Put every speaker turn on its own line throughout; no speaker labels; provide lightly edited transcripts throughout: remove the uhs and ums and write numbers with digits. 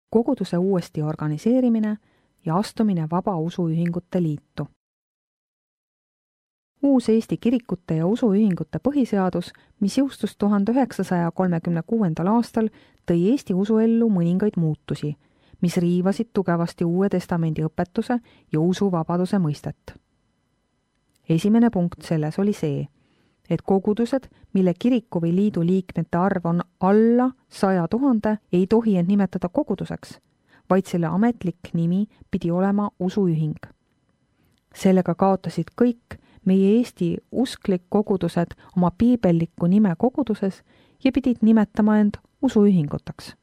koguduse uuesti organiseerimine ja astumine Vaba Usuühingute Liitu. Uus Eesti kirikute ja usuühingute põhiseadus, mis jõustus 1936. aastal, tõi Eesti usuellu mõningaid muutusi, mis riivasid tugevasti Uue Testamendi õpetuse ja usuvabaduse mõistet. Esimene punkt selles oli see, et kogudused, mille kiriku või liidu liikmete arv on alla 100 000, ei tohi end nimetada koguduseks, vaid selle ametlik nimi pidi olema usuühing. Sellega kaotasid kõik meie Eesti usklik kogudused oma piibellikku nime koguduses ja pidid nimetama end usuühinguteks.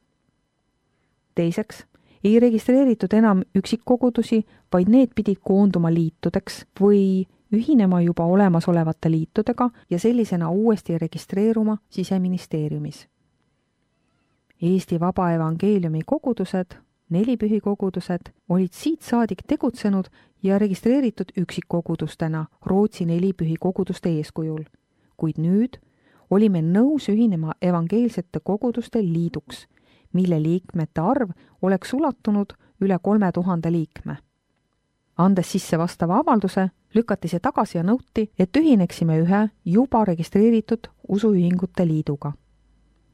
Teiseks, ei registreeritud enam üksikkogudusi, vaid need pidid koonduma liitudeks või ühinema juba olemasolevate liitudega ja sellisena uuesti registreeruma Siseministeeriumis. Eesti Vaba Evangeeliumi kogudused, nelipühikogudused, olid siit saadik tegutsenud ja registreeritud üksikkogudustena Rootsi nelipühikoguduste eeskujul, kuid nüüd olime nõus ühinema evangeelsete koguduste liiduks, mille liikmete arv oleks ulatunud üle 3000 liikme. Andes sisse vastava avalduse, lükati see tagasi ja nõuti, et ühineksime ühe juba registreeritud usuühingute liiduga.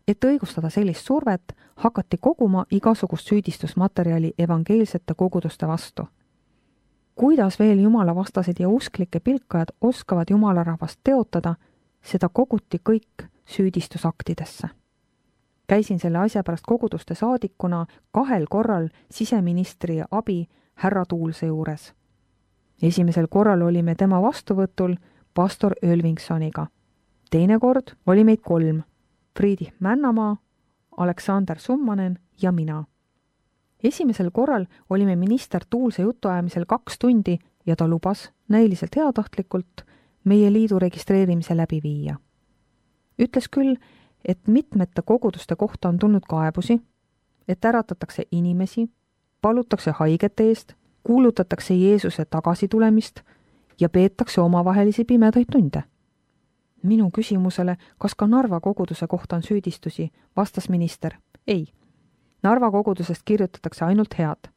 Et õigustada sellist survet, hakati koguma igasugust süüdistusmaterjali evangeelsete koguduste vastu. Kuidas veel jumalavastased ja usklike pilkajad oskavad jumalarahvast teotada, seda koguti kõik süüdistusaktidesse. Käisin selle asja pärast koguduste saadikuna 2 korral siseministri abi härra Tuulse juures. Esimesel korral olime tema vastuvõtul pastor Ölvingsoniga. Teine kord oli meid 3. Friedrich Männamaa, Aleksander Summanen ja mina. Esimesel korral olime minister Tuulse jutuajamisel 2 tundi ja ta lubas näiliselt heatahtlikult meie liidu registreerimise läbi viia. Ütles küll, et mitmete koguduste kohta on tulnud kaebusi, et äratatakse inimesi, palutakse haigete eest, kuulutatakse Jeesuse tagasitulemist ja peetakse omavahelisi pimedaid tunde. Minu küsimusele, kas ka Narva koguduse kohta on süüdistusi, vastas minister, ei. Narva kogudusest kirjutatakse ainult head.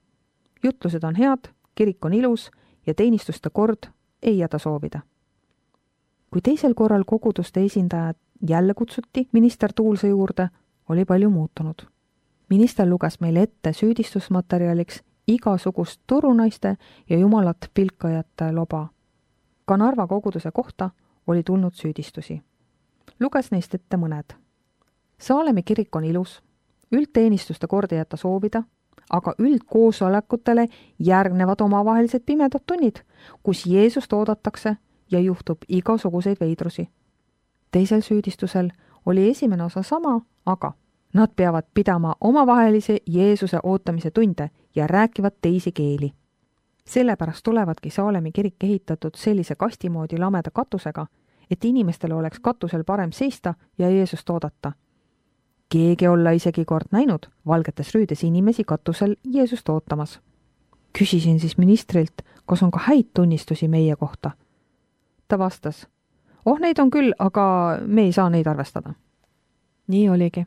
Jutlused on head, kirik on ilus ja teenistuste kord ei jäta soovida. Kui teisel korral koguduste esindajad jälle kutsuti minister Tuulse juurde, oli palju muutunud. Minister luges meile ette süüdistusmaterjaliks igasugust turunaiste ja jumalat pilkajate loba. Ka Narva koguduse kohta oli tulnud süüdistusi. Luges neist ette mõned. Saalemi kirik on ilus, üldteenistuste kord ei jäta soovida, aga üldkoosolekutele järgnevad omavahelised pimedad tunnid, kus Jeesust oodatakse ja juhtub igasuguseid veidrusi. Teisel süüdistusel oli esimene osa sama, aga nad peavad pidama omavahelise Jeesuse ootamise tunde ja rääkivad teisi keeli. Sellepärast tulevadki Saalemi kirik ehitatud sellise kastimoodi lameda katusega, et inimestel oleks katusel parem seista ja Jeesust oodata. Keegi olla isegi kord näinud valgetes rüüdes inimesi katusel Jeesust ootamas. Küsisin siis ministrilt, kas on ka häid tunnistusi meie kohta. Ta vastas, neid on küll, aga me ei saa neid arvestada. Nii oligi.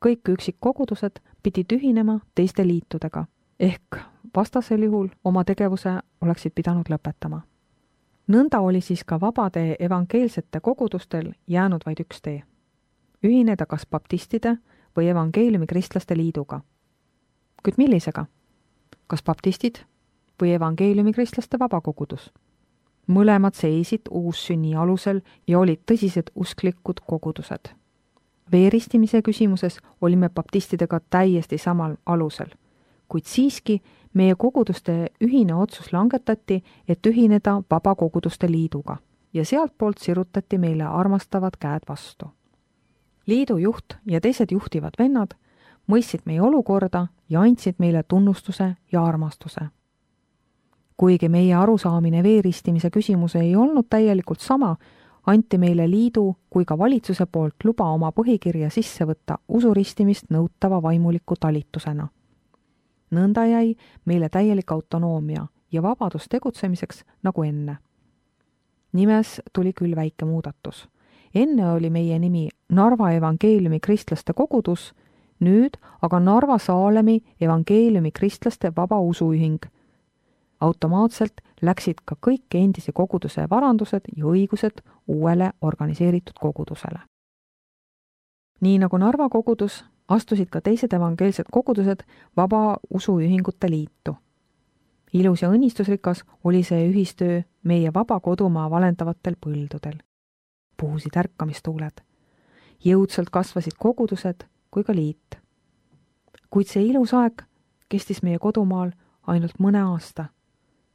Kõik üksikkogudused pidid ühinema teiste liitudega, ehk vastasel juhul oma tegevuse oleksid pidanud lõpetama. Nõnda oli siis ka vabade evangeelsete kogudustel jäänud vaid üks tee. Ühineda kas baptistide või evangeeliumi kristlaste liiduga. Kuid millisega? Kas baptistid või evangeeliumi kristlaste vabakogudus? Mõlemad seisid uussünni alusel ja olid tõsised usklikud kogudused. Veeristimise küsimuses olime baptistidega täiesti samal alusel, kuid siiski meie koguduste ühine otsus langetati, et ühineda vabakoguduste liiduga ja sealtpoolt sirutati meile armastavad käed vastu. Liidu juht ja teised juhtivad vennad mõistsid meie olukorda ja andsid meile tunnustuse ja armastuse. Kuigi meie arusaamine veeristimise küsimuse ei olnud täielikult sama, anti meile liidu kui ka valitsuse poolt luba oma põhikirja sisse võtta usuristimist nõutava vaimuliku talitusena. Nõnda jäi meile täielik autonoomia ja vabadus tegutsemiseks nagu enne. Nimes tuli küll väike muudatus. Enne oli meie nimi Narva evangeeliumi kristlaste kogudus, nüüd aga Narva Saalemi evangeeliumi kristlaste vaba usuühing. Automaatselt läksid ka kõik endise koguduse varandused ja õigused uuele organiseeritud kogudusele. Nii nagu Narva kogudus, astusid ka teised evangeelsed kogudused vaba usuühingute liitu. Ilus ja õnnistusrikas oli see ühistöö meie vaba kodumaa valendavatel põldudel. Puhusid ärkamistuuled. Jõudsalt kasvasid kogudused kui ka liit. Kuid see ilus aeg kestis meie kodumaal ainult mõne aasta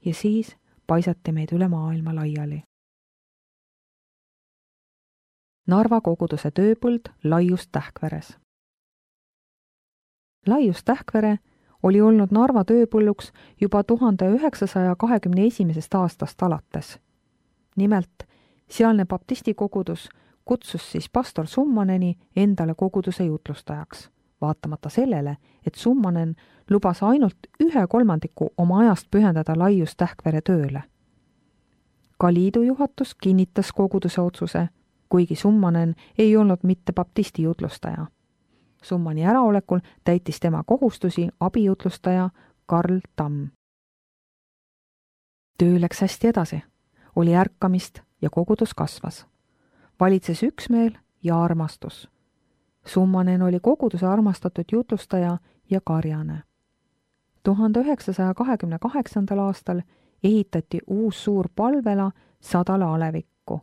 ja siis paisati meid üle maailma laiali. Narva koguduse tööpõld Laius Tähkveres. Laius Tähkvere oli olnud Narva tööpõlluks juba 1921. aastast alates. Nimelt, sealne baptisti kogudus kutsus siis pastor Summaneni endale koguduse jutlustajaks, vaatamata sellele, et Summanen lubas ainult 1/3 oma ajast pühendada Laius Tähkvere tööle. Ka liidu juhatus kinnitas koguduse otsuse, kuigi Summanen ei olnud mitte baptisti jutlustaja. Summani äraolekul täitis tema kohustusi abijutlustaja Karl Tamm. Töö läks hästi edasi, oli ärkamist ja kogudus kasvas. Valitses üksmeel ja armastus. Summanen oli koguduse armastatud jutlustaja ja karjane. 1928. aastal ehitati uus suur palvela 100 alevikku.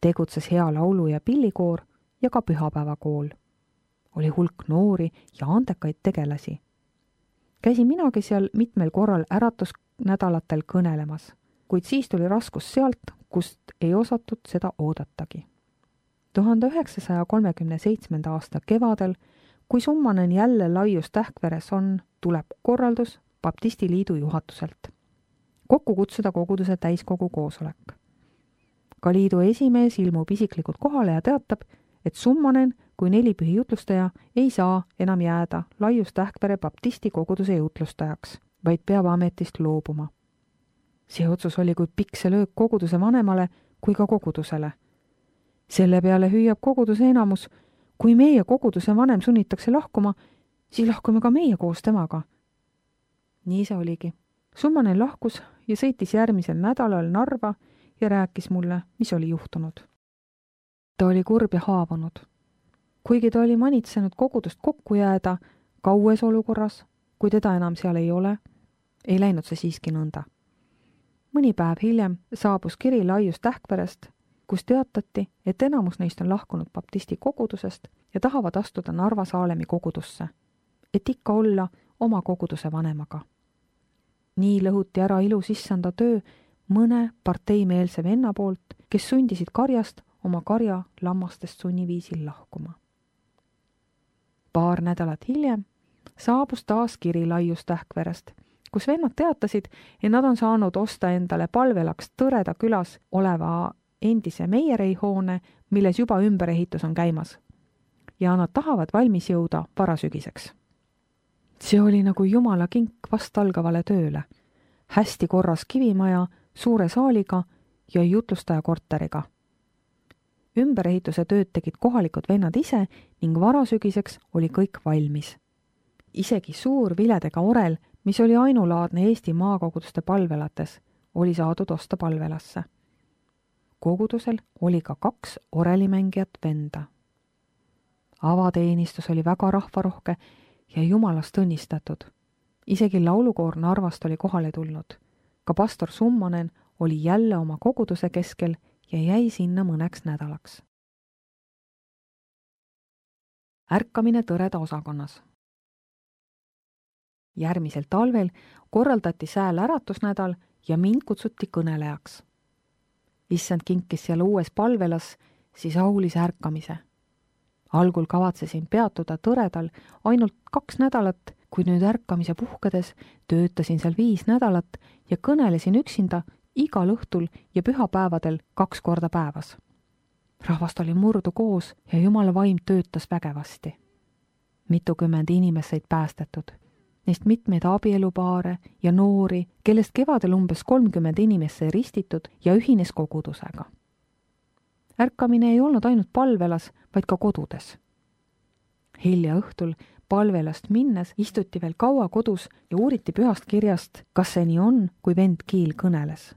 Tegutses hea laulu- ja pillikoor ja ka pühapäevakool. Oli hulk noori ja andekaid tegelasi. Käisin minagi seal mitmel korral äratusnädalatel kõnelemas, kuid siis tuli raskus sealt, kust ei osatud seda oodatagi. 1937. aasta kevadel, kui Summanen jälle Laius Tähkveres on, tuleb korraldus Baptisti liidu juhatuselt. Kokku kutsuda koguduse täiskogu koosolek. Ka liidu esimees ilmub isiklikult kohale ja teatab, et Summanen kui nelipühi jutlustaja ei saa enam jääda Laius Tähkvere baptisti koguduse jutlustajaks, vaid peab ametist loobuma. See otsus oli kui pikse löök koguduse vanemale kui ka kogudusele. Selle peale hüüab koguduse enamus, kui meie koguduse vanem sunnitakse lahkuma, siis lahkume ka meie koos temaga. Nii see oligi. Summanen lahkus ja sõitis järgmisel nädalal Narva ja rääkis mulle, mis oli juhtunud. Ta oli kurb ja haavunud. Kuigi ta oli manitsenud kogudust kokku jääda kaues olukorras, kui teda enam seal ei ole, ei läinud see siiski nõnda. Mõni päev hiljem saabus kiri Laius Tähkverest, kus teatati, et enamus neist on lahkunud baptisti kogudusest ja tahavad astuda Narva Saalemi kogudusse, et ikka olla oma koguduse vanemaga. Nii lõhuti ära ilus issanda töö mõne parteimeelse venna poolt, kes sundisid karjast oma karja lammastest sunniviisil lahkuma. Paar nädalat hiljem saabus taas kiri Laius Tähkverest, kus vennad teatasid, et nad on saanud osta endale palvelaks Tõreda külas oleva endise Meierei-hoone, milles juba ümberehitus on käimas. Ja nad tahavad valmis jõuda varasügiseks. See oli nagu Jumala kink vast algavale tööle. Hästi korras kivimaja, suure saaliga ja jutlustaja korteriga. Ümberehituse tööd tegid kohalikud vennad ise ning varasügiseks oli kõik valmis. Isegi suur viledega orel, mis oli ainulaadne Eesti maakoguduste palvelates, oli saadud osta palvelasse. Kogudusel oli ka 2 orelimängijat venda. Avateenistus oli väga rahvarohke ja Jumalast õnnistatud. Isegi laulukoor Narvast oli kohale tulnud. Ka pastor Summanen oli jälle oma koguduse keskel ja jäi sinna mõneks nädalaks. Ärkamine Tõreda osakonnas. Järgmisel talvel korraldati sääl äratusnädal ja mind kutsuti kõnelejaks. Issand kinkis seal uues palvelas siis aulise ärkamise. Algul kavatsesin peatuda Tõredal ainult 2 nädalat, kui nüüd ärkamise puhkedes töötasin seal 5 nädalat ja kõnelesin üksinda igal õhtul ja pühapäevadel 2 korda päevas. Rahvast oli murdu koos ja Jumala vaim töötas vägevasti. Mitukümmend inimest said päästetud. Neist mitmeid abielupaare ja noori, kellest kevadel umbes 30 inimest sai ristitud ja ühines kogudusega. Ärkamine ei olnud ainult palvelas, vaid ka kodudes. Hilja õhtul palvelast minnes istuti veel kaua kodus ja uuriti pühast kirjast, kas see nii on, kui vend Kiil kõneles.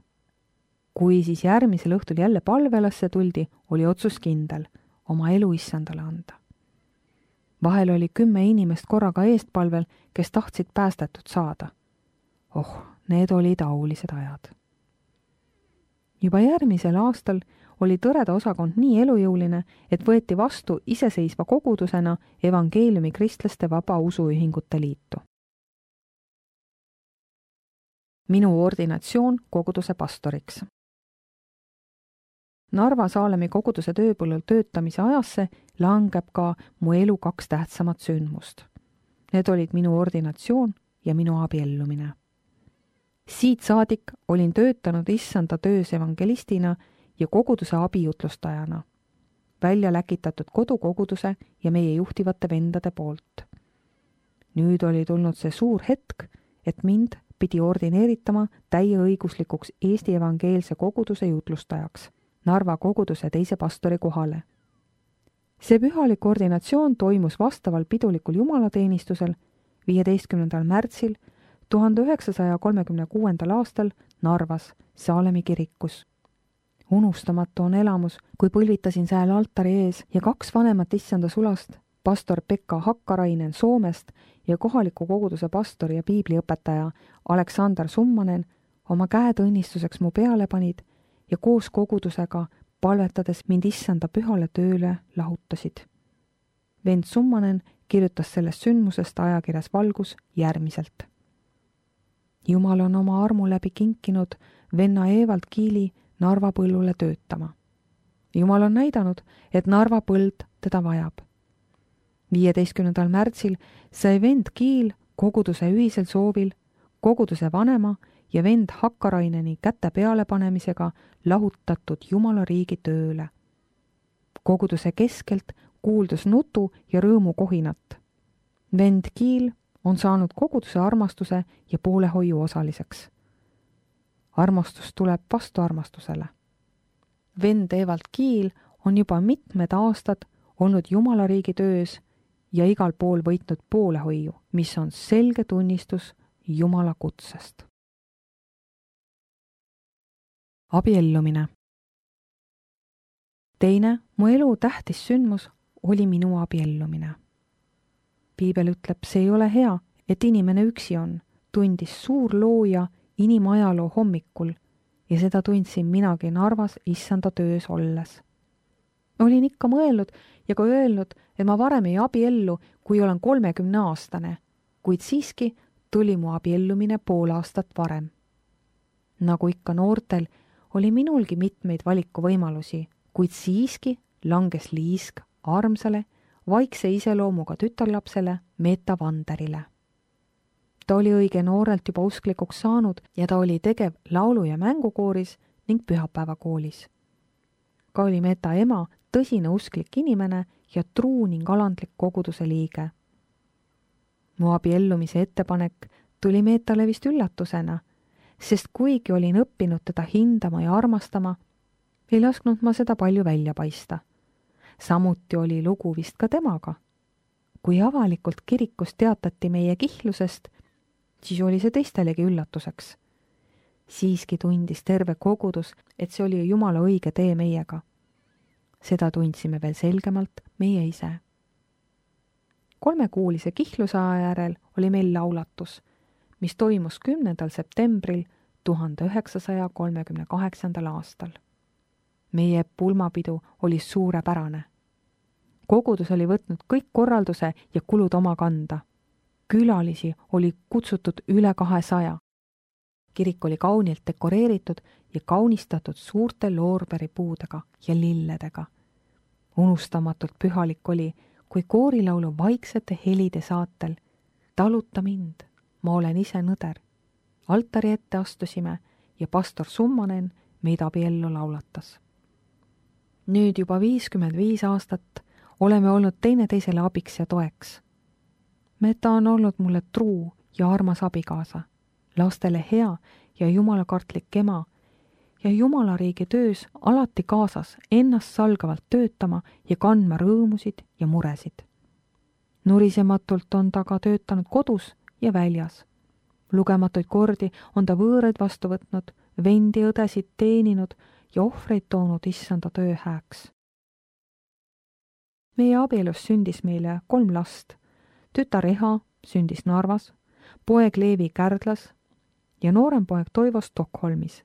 Kui siis järgmisel õhtul jälle palvelasse tuldi, oli otsus kindel, oma elu issandale anda. Vahel oli 10 inimest korraga eestpalvel, kes tahtsid päästetud saada. Need olid aulised ajad. Juba järgmisel aastal oli Tõreda osakond nii elujõuline, et võeti vastu iseseisva kogudusena evangeeliumi kristlaste vaba usuühingute liitu. Minu ordinatsioon koguduse pastoriks. Narva Saalemi koguduse tööpõllul töötamise ajasse langeb ka mu elu 2 tähtsamat sündmust. Need olid minu ordinatsioon ja minu abiellumine. Siit saadik olin töötanud issanda töös evangelistina ja koguduse abijutlustajana, välja läkitatud kodukoguduse ja meie juhtivate vendade poolt. Nüüd oli tulnud see suur hetk, et mind pidi ordineeritama täieõiguslikuks Eesti evangeelse koguduse jutlustajaks Narva koguduse teise pastori kohale. See pühalik ordinatsioon toimus vastaval pidulikul jumalateenistusel 15. märtsil 1936. aastal Narvas Saalemi kirikus. Unustamatu on elamus, kui põlvitasin sääl altari ees ja 2 vanemat issanda sulast, pastor Pekka Hakkarainen Soomest ja kohaliku koguduse pastor ja piibliõpetaja Aleksander Summanen oma käed õnnistuseks mu peale panid ja koos kogudusega palvetades mind issanda pühale tööle lahutasid. Vend Summanen kirjutas sellest sündmusest ajakirjas Valgus järgmiselt. Jumal on oma armu läbi kinkinud venna Evald Kiili Narva põllule töötama. Jumal on näidanud, et Narva põld teda vajab. 15. märtsil sai vend Kiil koguduse ühisel soovil, koguduse vanema ja vend Hakkaraineni käte pealepanemisega lahutatud Jumala riigi tööle. Koguduse keskelt kuuldus nutu ja rõõmu kohinat. Vend Kiil on saanud koguduse armastuse ja poolehoiu osaliseks. Armastus tuleb vastu armastusele. Vend Evald Kiil on juba mitmed aastad olnud Jumala riigi töös ja igal pool võitnud poolehoiu, mis on selge tunnistus Jumala kutsest. Abiellumine. Teine mu elu tähtis sündmus oli minu abiellumine. Piibel ütleb, see ei ole hea, et inimene üksi on, tundis suur looja inimajaloo hommikul ja seda tundsin minagi Narvas issanda töös olles. Olin ikka mõelnud ja ka öelnud, et ma varem ei abiellu, kui olen 30-aastane, kuid siiski tuli mu abiellumine pool aastat varem. Nagu ikka noortel, oli minulgi mitmeid valikuvõimalusi, kuid siiski langes liisk armsale, vaikse iseloomuga tütarlapsele Meeta Vanderile. Ta oli õige noorelt juba usklikuks saanud ja ta oli tegev laulu- ja mängukooris ning pühapäevakoolis. Ka oli Meeta ema tõsine usklik inimene ja truu ning alandlik koguduse liige. Mu abiellumise ettepanek tuli Meetale vist üllatusena, sest kuigi olin õppinud teda hindama ja armastama, ei lasknud ma seda palju välja paista. Samuti oli lugu vist ka temaga. Kui avalikult kirikus teatati meie kihlusest, siis oli see teistelegi üllatuseks. Siiski tundis terve kogudus, et see oli Jumala õige tee meiega. Seda tundsime veel selgemalt meie ise. 3-kuulise kihlusaja järel oli meil laulatus, mis toimus 10. septembril 1938. aastal. Meie pulmapidu oli suurepärane. Kogudus oli võtnud kõik korralduse ja kulud oma kanda. Külalisi oli kutsutud üle 200. Kirik oli kaunilt dekoreeritud ja kaunistatud suurte loorberipuudega ja lilledega. Unustamatult pühalik oli, kui koorilaulu vaiksete helide saatel "Taluta mind, ma olen ise nõder" altari ette astusime ja pastor Summanen meid abiellu laulatas. Nüüd juba 55 aastat oleme olnud teineteisele abiks ja toeks. Meeta on olnud mulle truu ja armas abikaasa, lastele hea ja jumalakartlik ema ja Jumala riigi töös alati kaasas ennast salgavalt töötama ja kandma rõõmusid ja muresid. Nurisematult on ta ka töötanud kodus ja väljas. Lugematuid kordi on ta võõraid vastu võtnud, vendi õdesid teeninud ja ohvreid toonud issanda töö hääks. Meie abielus sündis meile 3 last. Tütar Eha sündis Narvas, poeg Leevi Kärdlas ja noorem poeg Toivo Stockholmis.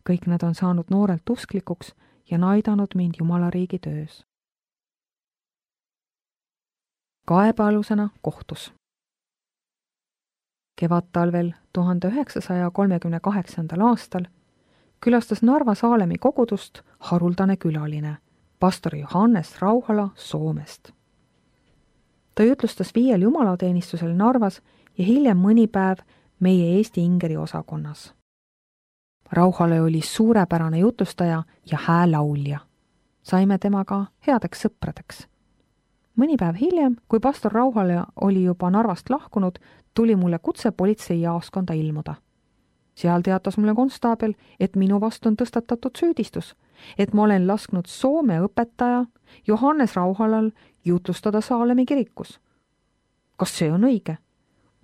Kõik nad on saanud noorelt usklikuks ja aidanud mind Jumala riigi töös. Kaebealusena kohtus. Kevadtalvel 1938. aastal külastas Narva Saalemi kogudust haruldane külaline, pastor Johannes Rauhala Soomest. Ta jutlustas 5 jumalateenistusel Narvas ja hiljem mõni päev meie Eesti Ingeri osakonnas. Rauhale oli suurepärane jutlustaja ja häälaulja. Saime temaga headeks sõpradeks. Mõni päev hiljem, kui pastor Rauhale oli juba Narvast lahkunud, tuli mulle kutse politseijaoskonda ilmuda. Seal teatas mulle konstaabel, et minu vastu on tõstatatud süüdistus, et ma olen lasknud Soome õpetaja Johannes Rauhalal jutlustada Saalemi kirikus. Kas see on õige?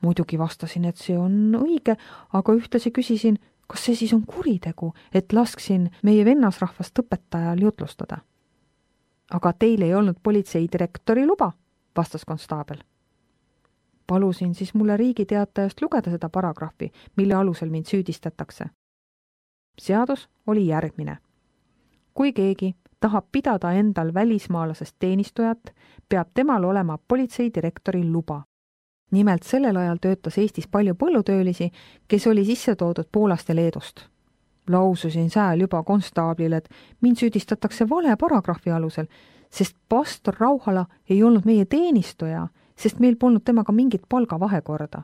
Muidugi vastasin, et see on õige, aga ühtlasi küsisin, kas see siis on kuritegu, et lasksin meie vennasrahvast õpetajal jutlustada. Aga teil ei olnud politseidirektori luba, vastas konstaabel. Palusin siis mulle riigiteatajast lugeda seda paragrahvi, mille alusel mind süüdistatakse. Seadus oli järgmine. Kui keegi tahab pidada endal välismaalasest teenistujat, peab temal olema politseidirektori luba. Nimelt sellel ajal töötas Eestis palju põllutöölisi, kes oli sisse toodud Poolast ja Leedust. Laususin sääl juba konstaablile, et mind süüdistatakse vale paragrahvi alusel, sest pastor Rauhala ei olnud meie teenistuja, sest meil polnud temaga mingit palgavahekorda.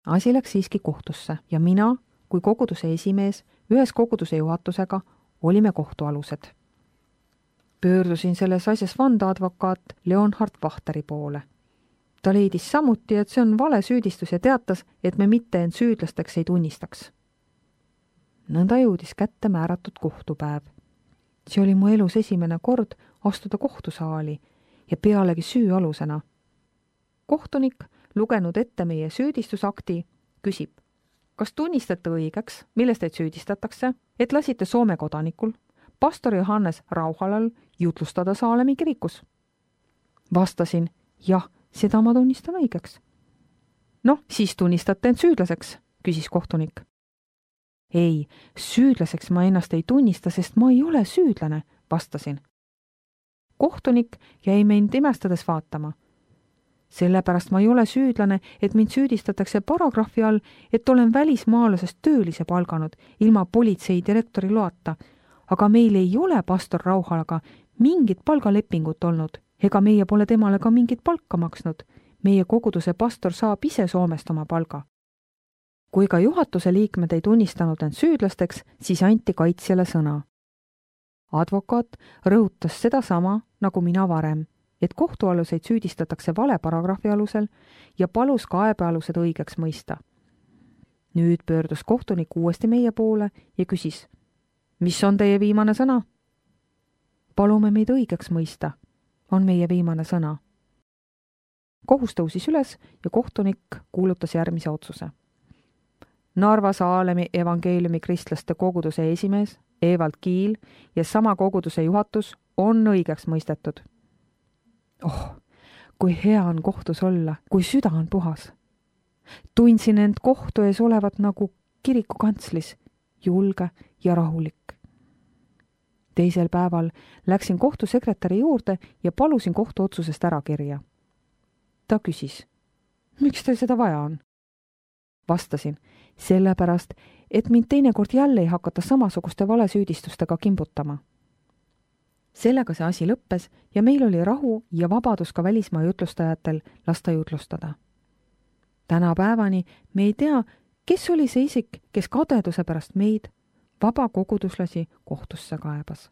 Asi läks siiski kohtusse ja mina, kui koguduse esimees, ühes koguduse juhatusega, olime kohtualused. Pöördusin selles asjas vandeadvokaat Leonhard Vahteri poole. Ta leidis samuti, et see on vale süüdistus ja teatas, et me mitte end süüdlasteks ei tunnistaks. Nõnda jõudis kätte määratud kohtupäev. See oli mu elus esimene kord astuda kohtusaali ja pealegi süüalusena. Kohtunik, lugenud ette meie süüdistusakti, küsib, kas tunnistate õigeks, milles teid süüdistatakse, et lasite Soome kodanikul, pastor Johannes Rauhalal jutlustada Saalemi kirikus? Vastasin, jah, seda ma tunnistan õigeks. Noh, siis tunnistate end süüdlaseks, küsis kohtunik. Ei, süüdlaseks ma ennast ei tunnista, sest ma ei ole süüdlane, vastasin. Kohtunik jäi mind imestades vaatama. Sellepärast ma ei ole süüdlane, et mind süüdistatakse paragrahvi all, et olen välismaalasest töölise palganud ilma politseidirektori loata, aga meil ei ole pastor Rauhalaga mingit palgalepingut olnud, ega meie pole temale ka mingit palka maksnud. Meie koguduse pastor saab ise Soomest oma palga. Kui ka juhatuse liikmed ei tunnistanud end süüdlasteks, siis anti kaitsjale sõna. Advokaat rõhutas sedasama nagu mina varem, et kohtualuseid süüdistatakse vale paragrahvi alusel ja palus kaebealused õigeks mõista. Nüüd pöördus kohtunik uuesti meie poole ja küsis, mis on teie viimane sõna? Palume meid õigeks mõista, on meie viimane sõna. Kohus tõusis üles ja kohtunik kuulutas järgmise otsuse. Narva Saalemi evangeeliumi kristlaste koguduse esimees Evald Kiil ja sama koguduse juhatus on õigeks mõistetud. Oh, kui hea on kohtus olla, kui süda on puhas. Tundsin end kohtu ees olevat nagu kirikukantslis, julge ja rahulik. Teisel päeval läksin kohtusekretäri juurde ja palusin kohtuotsusest ära kirja. Ta küsis, miks teil seda vaja on? Vastasin, sellepärast, et mind teinekord jälle ei hakata samasuguste valesüüdistustega kimbutama. Sellega see asi lõppes ja meil oli rahu ja vabadus ka välismaa jutlustajatel lasta jutlustada. Tänapäevani me ei tea, kes oli see isik, kes kadeduse pärast meid, vaba koguduslasi, kohtusse kaebas.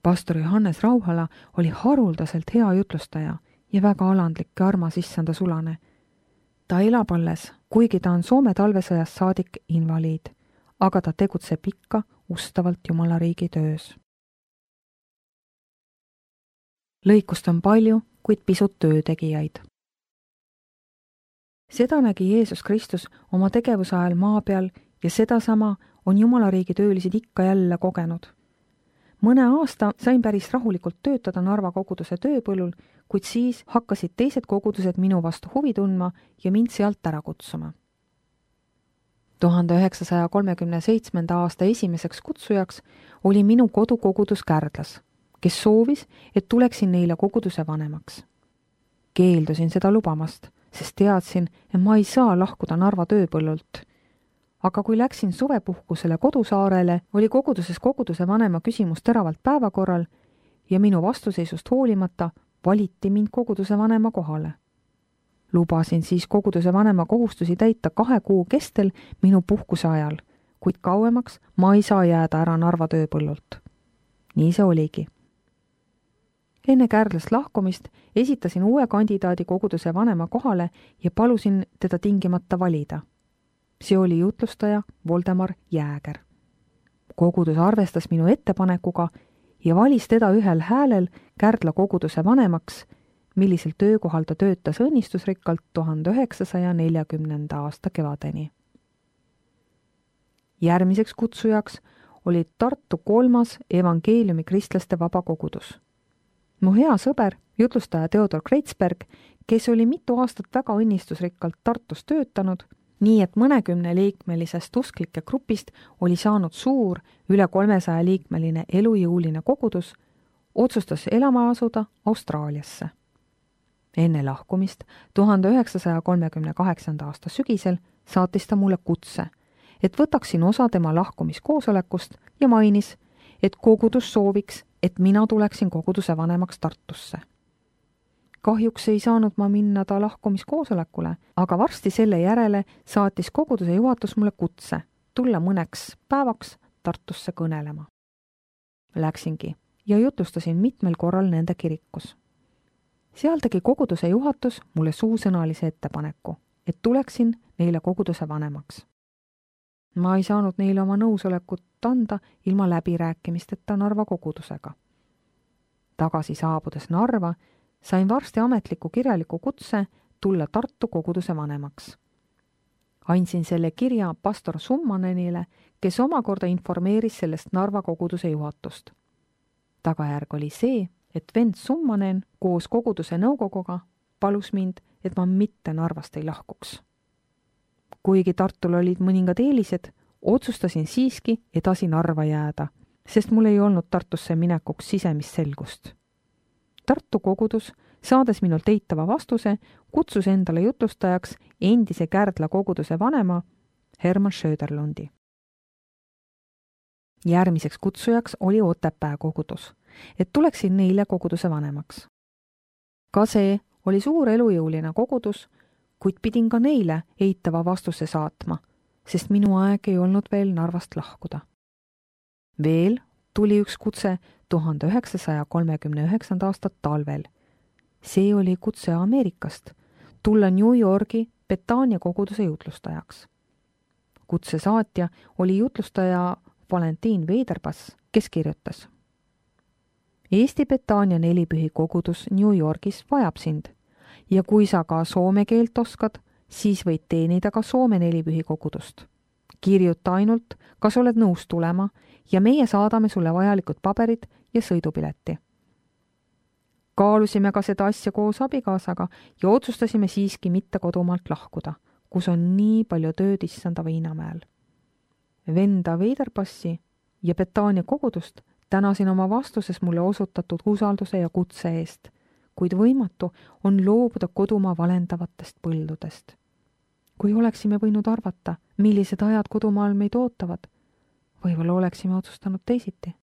Pastor Johannes Rauhala oli haruldaselt hea jutlustaja ja väga alandlik ja armas issanda sulane. Ta elab alles, kuigi ta on Soome talvesõjast saadik invaliid, aga ta tegutseb ikka ustavalt Jumala riigi töös. Lõikust on palju, kuid pisut töötegijaid. Seda nägi Jeesus Kristus oma tegevuse ajal maa peal ja sedasama on Jumala riigi töölised ikka jälle kogenud. Mõne aasta sain päris rahulikult töötada Narva koguduse tööpõllul, kuid siis hakkasid teised kogudused minu vastu huvi tundma ja mind sealt ära kutsuma. 1937. aasta esimeseks kutsujaks oli minu kodukogudus Kärdlas, kes soovis, et tuleksin neile koguduse vanemaks. Keeldusin seda lubamast, sest teadsin, et ma ei saa lahkuda Narva tööpõllult. Aga kui läksin suvepuhkusele kodusaarele, oli koguduses koguduse vanema küsimus teravalt päevakorral ja minu vastuseisust hoolimata valiti mind koguduse vanema kohale. Lubasin siis koguduse vanema kohustusi täita 2 kuu kestel minu puhkuse ajal, kuid kauemaks ma ei saa jääda ära Narva tööpõllult. Nii see oligi. Enne Kärdlast lahkumist esitasin uue kandidaadi koguduse vanema kohale ja palusin teda tingimata valida. See oli jutlustaja Voldemar Jääger. Kogudus arvestas minu ettepanekuga ja valis teda ühel häälel Kärdla koguduse vanemaks, millisel töökohal ta töötas õnnistusrikkalt 1940. aasta kevadeni. Järgmiseks kutsujaks oli Tartu 3. evangeeliumi kristlaste vabakogudus. Mu hea sõber, jutlustaja Theodor Kreitsberg, kes oli mitu aastat väga õnnistusrikkalt Tartus töötanud, nii et mõnekümne liikmelisest usklike grupist oli saanud suur, üle 300 liikmeline elujõuline kogudus, otsustas elama asuda Austraaliasse. Enne lahkumist 1938. aasta sügisel saatis ta mulle kutse, et võtaksin osa tema lahkumiskoosolekust ja mainis, et kogudus sooviks, et mina tuleksin koguduse vanemaks Tartusse. Kahjuks ei saanud ma minna ta lahkumiskoosolekule, aga varsti selle järele saatis koguduse juhatus mulle kutse tulla mõneks päevaks Tartusse kõnelema. Läksingi ja jutlustasin mitmel korral nende kirikus. Seal tegi koguduse juhatus mulle suusõnalise ettepaneku, et tuleksin neile koguduse vanemaks. Ma ei saanud neile oma nõusolekut anda ilma läbirääkimisteta Narva kogudusega. Tagasi saabudes Narva sain varsti ametliku kirjaliku kutse tulla Tartu koguduse vanemaks. Andsin selle kirja pastor Summanenile, kes omakorda informeeris sellest Narva koguduse juhatust. Tagajärg oli see, et vend Summanen koos koguduse nõukoguga palus mind, et ma mitte Narvast ei lahkuks. Kuigi Tartul olid mõningad eelised, otsustasin siiski edasi Narva jääda, sest mul ei olnud Tartusse minekuks sisemist selgust. Tartu kogudus, saades minult eitava vastuse, kutsus endale jutlustajaks endise Kärdla koguduse vanema Herman Söderlundi. Järgmiseks kutsujaks oli Otepää kogudus, et tuleksin neile koguduse vanemaks. Ka see oli suur elujõuline kogudus, kuid pidin ka neile eitava vastuse saatma, sest minu aeg ei olnud veel Narvast lahkuda. Veel tuli üks kutse 1939. aasta talvel. See oli kutse Ameerikast, tulla New Yorgi Betania koguduse jutlustajaks. Kutse saatja oli jutlustaja Valentin Veiderpass, kes kirjutas: Eesti Betania nelipühi kogudus New Yorgis vajab sind ja kui sa ka soome keelt oskad, siis võid teenida ka Soome nelipühi kogudust. Kirjuta ainult, kas oled nõus tulema ja meie saadame sulle vajalikud paberid ja sõidupileti. Kaalusime ka seda asja koos abikaasaga ja otsustasime siiski mitte kodumaalt lahkuda, kus on nii palju tööd issanda Viinamäel. Venda Veiderpassi ja Betania kogudust tänasin oma vastuses mulle osutatud usalduse ja kutse eest, kuid võimatu on loobuda kodumaa valendavatest põldudest. Kui oleksime võinud arvata, millised ajad kodumaal meid ootavad, võib-olla oleksime otsustanud teisiti.